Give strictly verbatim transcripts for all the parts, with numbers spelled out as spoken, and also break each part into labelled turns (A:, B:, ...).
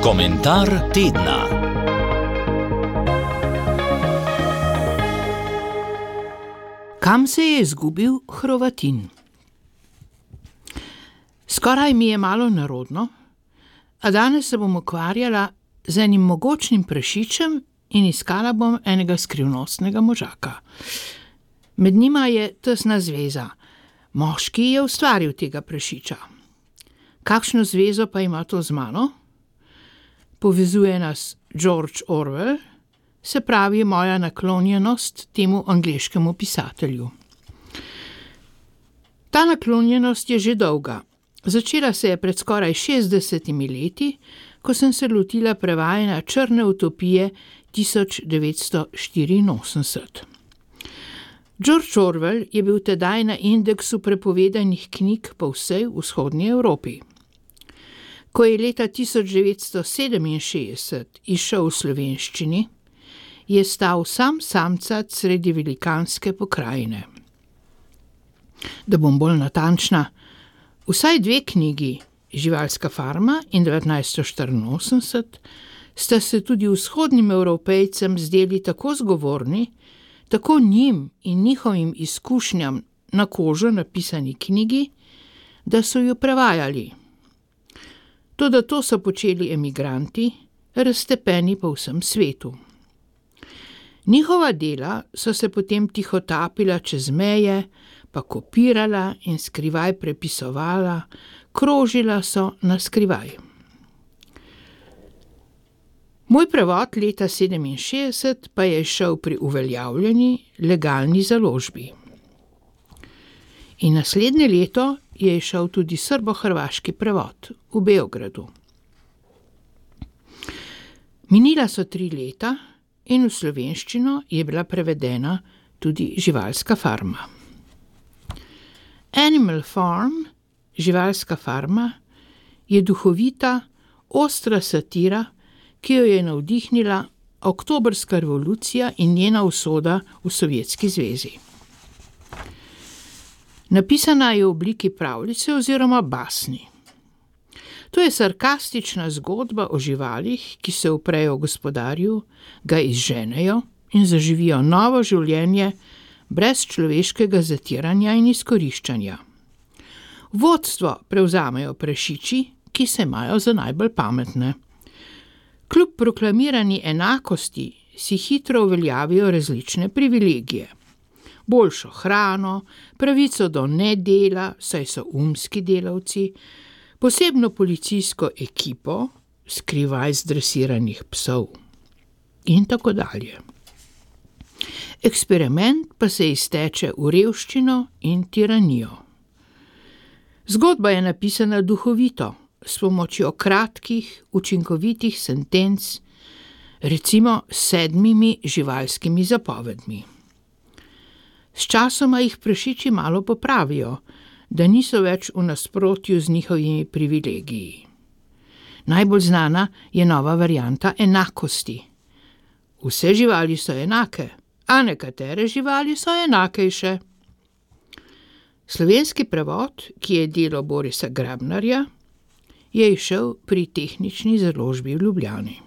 A: Komentar tedna.
B: Kam se je izgubil Hrvatin? Skoraj mi je malo narodno, a danes se bom ukvarjala z enim mogočnim prašičem in iskala bom enega skrivnostnega možaka. Med njima je tesna zveza. Moški je ustvaril tega prašiča. Kakšno zvezo pa ima to z mano? Povezuje nas George Orwell, se pravi moja naklonjenost temu angleškemu pisatelju. Ta naklonjenost je že dolga. Začela se je pred skoraj šestdesetimi leti, ko sem se lotila prevajanja Črne utopije tisoč devetsto štiriinosemdeset. George Orwell je bil tedaj na indeksu prepovedanih knjig po vsej vzhodni Evropi. Ko je leta tisoč devetsto sedeminšestdeset izšel v slovenščini, je stal sam samcat sredi velikanske pokrajine. Da bom bolj natančna, vsaj dve knjigi, Živalska farma in devetnajststo štiriinosemdeset, sta se tudi vzhodnim Evropejcem zdeli tako zgovorni, tako njim in njihovim izkušnjam na kožo napisani knjigi, da so jo prevajali. Toda to so počeli emigranti, raztepeni po vsem svetu. Njihova dela so se potem tihotapila čez meje, pa kopirala in skrivaj prepisovala, krožila so na skrivaj. Moj prevod leta sedeminšestdeset pa je šel pri uveljavljeni legalni založbi. In naslednje leto je šel tudi srbo-hrvaški prevod v Beogradu. Minila so tri leta in v slovenščino je bila prevedena tudi Živalska farma. Animal Farm, Živalska farma, je duhovita, ostra satira, ki jo je navdihnila oktobrska revolucija in njena usoda v Sovjetski zvezi. Napisana je v obliki pravljice oziroma basni. To je sarkastična zgodba o živalih, ki se uprejo gospodarju, ga izženejo in zaživijo novo življenje brez človeškega zatiranja in izkoriščanja. Vodstvo prevzamejo prašiči, ki se imajo za najbolj pametne. Kljub proklamirani enakosti si hitro uveljavijo različne privilegije. Boljšo hrano, pravico do nedela, saj so umski delavci, posebno policijsko ekipo, skrivaj zdresiranih psov in tako dalje. Eksperiment pa se izteče v revščino in tiranijo. Zgodba je napisana duhovito, s pomočjo kratkih, učinkovitih sentenc, recimo s sedmimi živalskimi zapovedmi. Sčasoma jih prašiči malo popravijo, da niso več v nasprotju z njihovimi privilegiji. Najbolj znana je nova varianta enakosti. Vse živali so enake, a nekatere živali so enakejše. Slovenski prevod, ki je delo Borisa Grabnarja, je izšel pri Tehnični založbi v Ljubljani.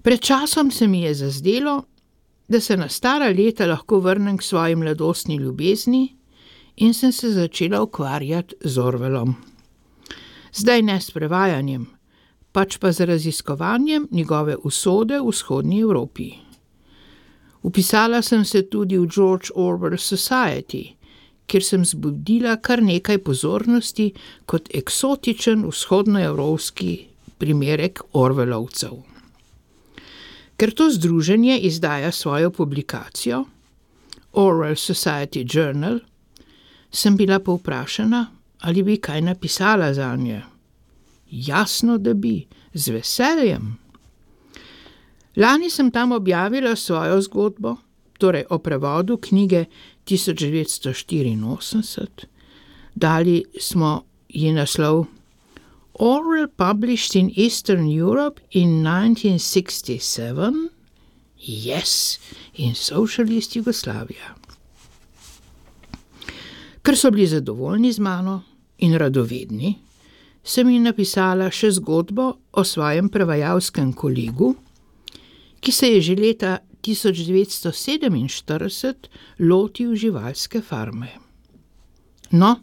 B: Pred časom se mi je zazdelo, da se na stara leta lahko vrnem k svoji mladostni ljubezni in sem se začela ukvarjati z Orwellom. Zdaj ne s prevajanjem, pač pa z raziskovanjem njegove usode v vzhodni Evropi. Vpisala sem se tudi v George Orwell Society, kjer sem zbudila kar nekaj pozornosti kot eksotičen vzhodnoevropski primerek Orwellovcev. Ker to združenje izdaja svojo publikacijo, Orwell Society Journal, sem bila povprašana, ali bi kaj napisala zanje. Jasno, da bi, z veseljem. Lani sem tam objavila svojo zgodbo, torej o prevodu knjige tisoč devetsto štiriinosemdeset, dali smo ji naslov Orwell published in Eastern Europe in nineteen sixty-seven, yes, in Socialist Jugoslavia. Ker so bili zadovoljni z mano in radovedni, sem jim napisala še zgodbo o svojem prevajalskem kolegu, ki se je že leta tisoč devetsto sedeminštirideset lotil živalske farme. No,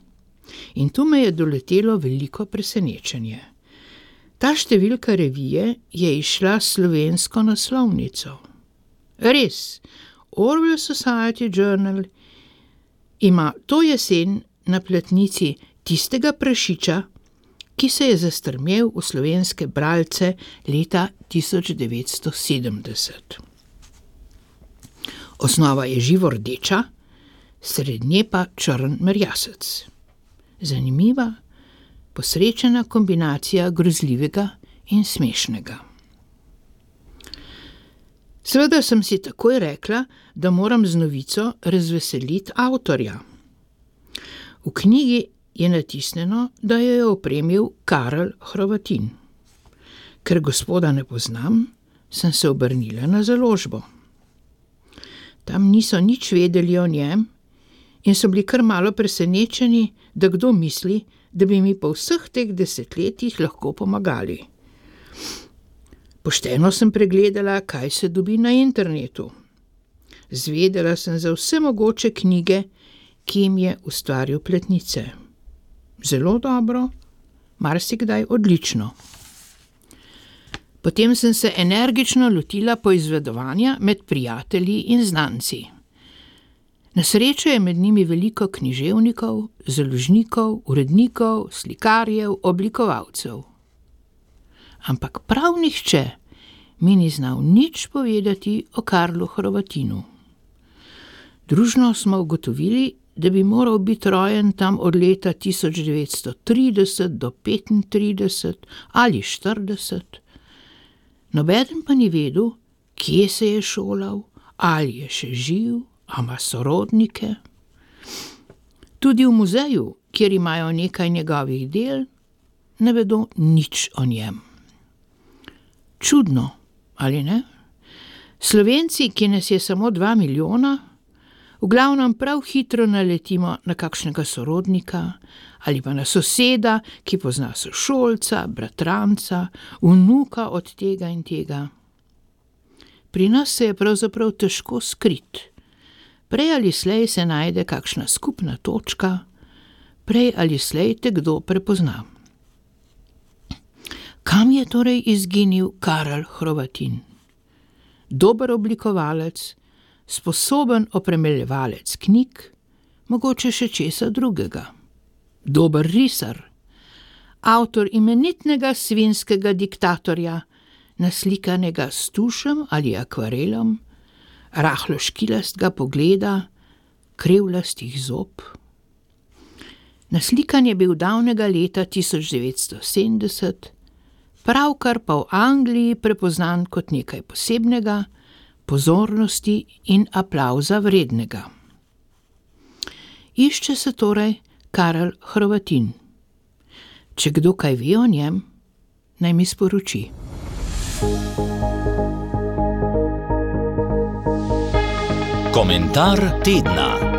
B: in tu me je doletelo veliko presenečenje. Ta številka revije je izšla s slovensko naslovnico. Res, Orwell Society Journal ima to jesen na platnici tistega prašiča, ki se je zastrmel v slovenske bralce leta tisoč devetsto sedemdeset. Osnova je živo rdeča, srednje pa črn merjasec. Zanimiva, posrečena kombinacija grozljivega in smešnega. Seveda sem si takoj rekla, da moram z novico razveseliti avtorja. V knjigi je natisnjeno, da jo je opremil Karel Hrvatin. Ker gospoda ne poznam, sem se obrnila na založbo. Tam niso nič vedeli o njem in so bili kar malo presenečeni, da kdo misli, da bi mi po vseh teh desetletjih lahko pomagali. Pošteno sem pregledala, kaj se dobi na internetu. Zvedela sem za vse mogoče knjige, ki jim je ustvaril platnice. Zelo dobro, marsikdaj odlično. Potem sem se energično lotila poizvedovanja med prijatelji in znanci. Na srečo je med njimi veliko književnikov, založnikov, urednikov, slikarjev, oblikovalcev. Ampak prav nihče mi ni znal nič povedati o Karlu Hrvatinu. Družno smo ugotovili, da bi moral biti rojen tam od leta tisoč devetsto trideset do petintrideset ali štirideset. Nobeden pa ni vedel, kje se je šolal, ali je še živ, a ima sorodnike. Tudi v muzeju, kjer imajo nekaj njegovih del, ne vedo nič o njem. Čudno, ali ne? Slovenci, ki nas je samo dva milijona, v glavnem prav hitro naletimo na kakšnega sorodnika ali pa na soseda, ki pozna sošolca, bratranca, vnuka od tega in tega. Pri nas se je pravzaprav težko skriti. Prej ali slej se najde kakšna skupna točka, prej ali slej te kdo prepozna. Kam je torej izginil Karel Hrvatin? Dober oblikovalec, sposoben opremeljevalec knjig, mogoče še česa drugega. Dober risar, avtor imenitnega svinskega diktatorja, naslikanega s tušem ali akvarelom, rahlo škilastega pogleda, krivlastih zob. Naslikan je bil davnega leta tisoč devetsto sedemdeset, pravkar pa v Angliji prepoznan kot nekaj posebnega, pozornosti in aplavza vrednega. Išče se torej Karel Hrvatin. Če kdo kaj ve o njem, naj mi sporoči.
A: Komentar tedna.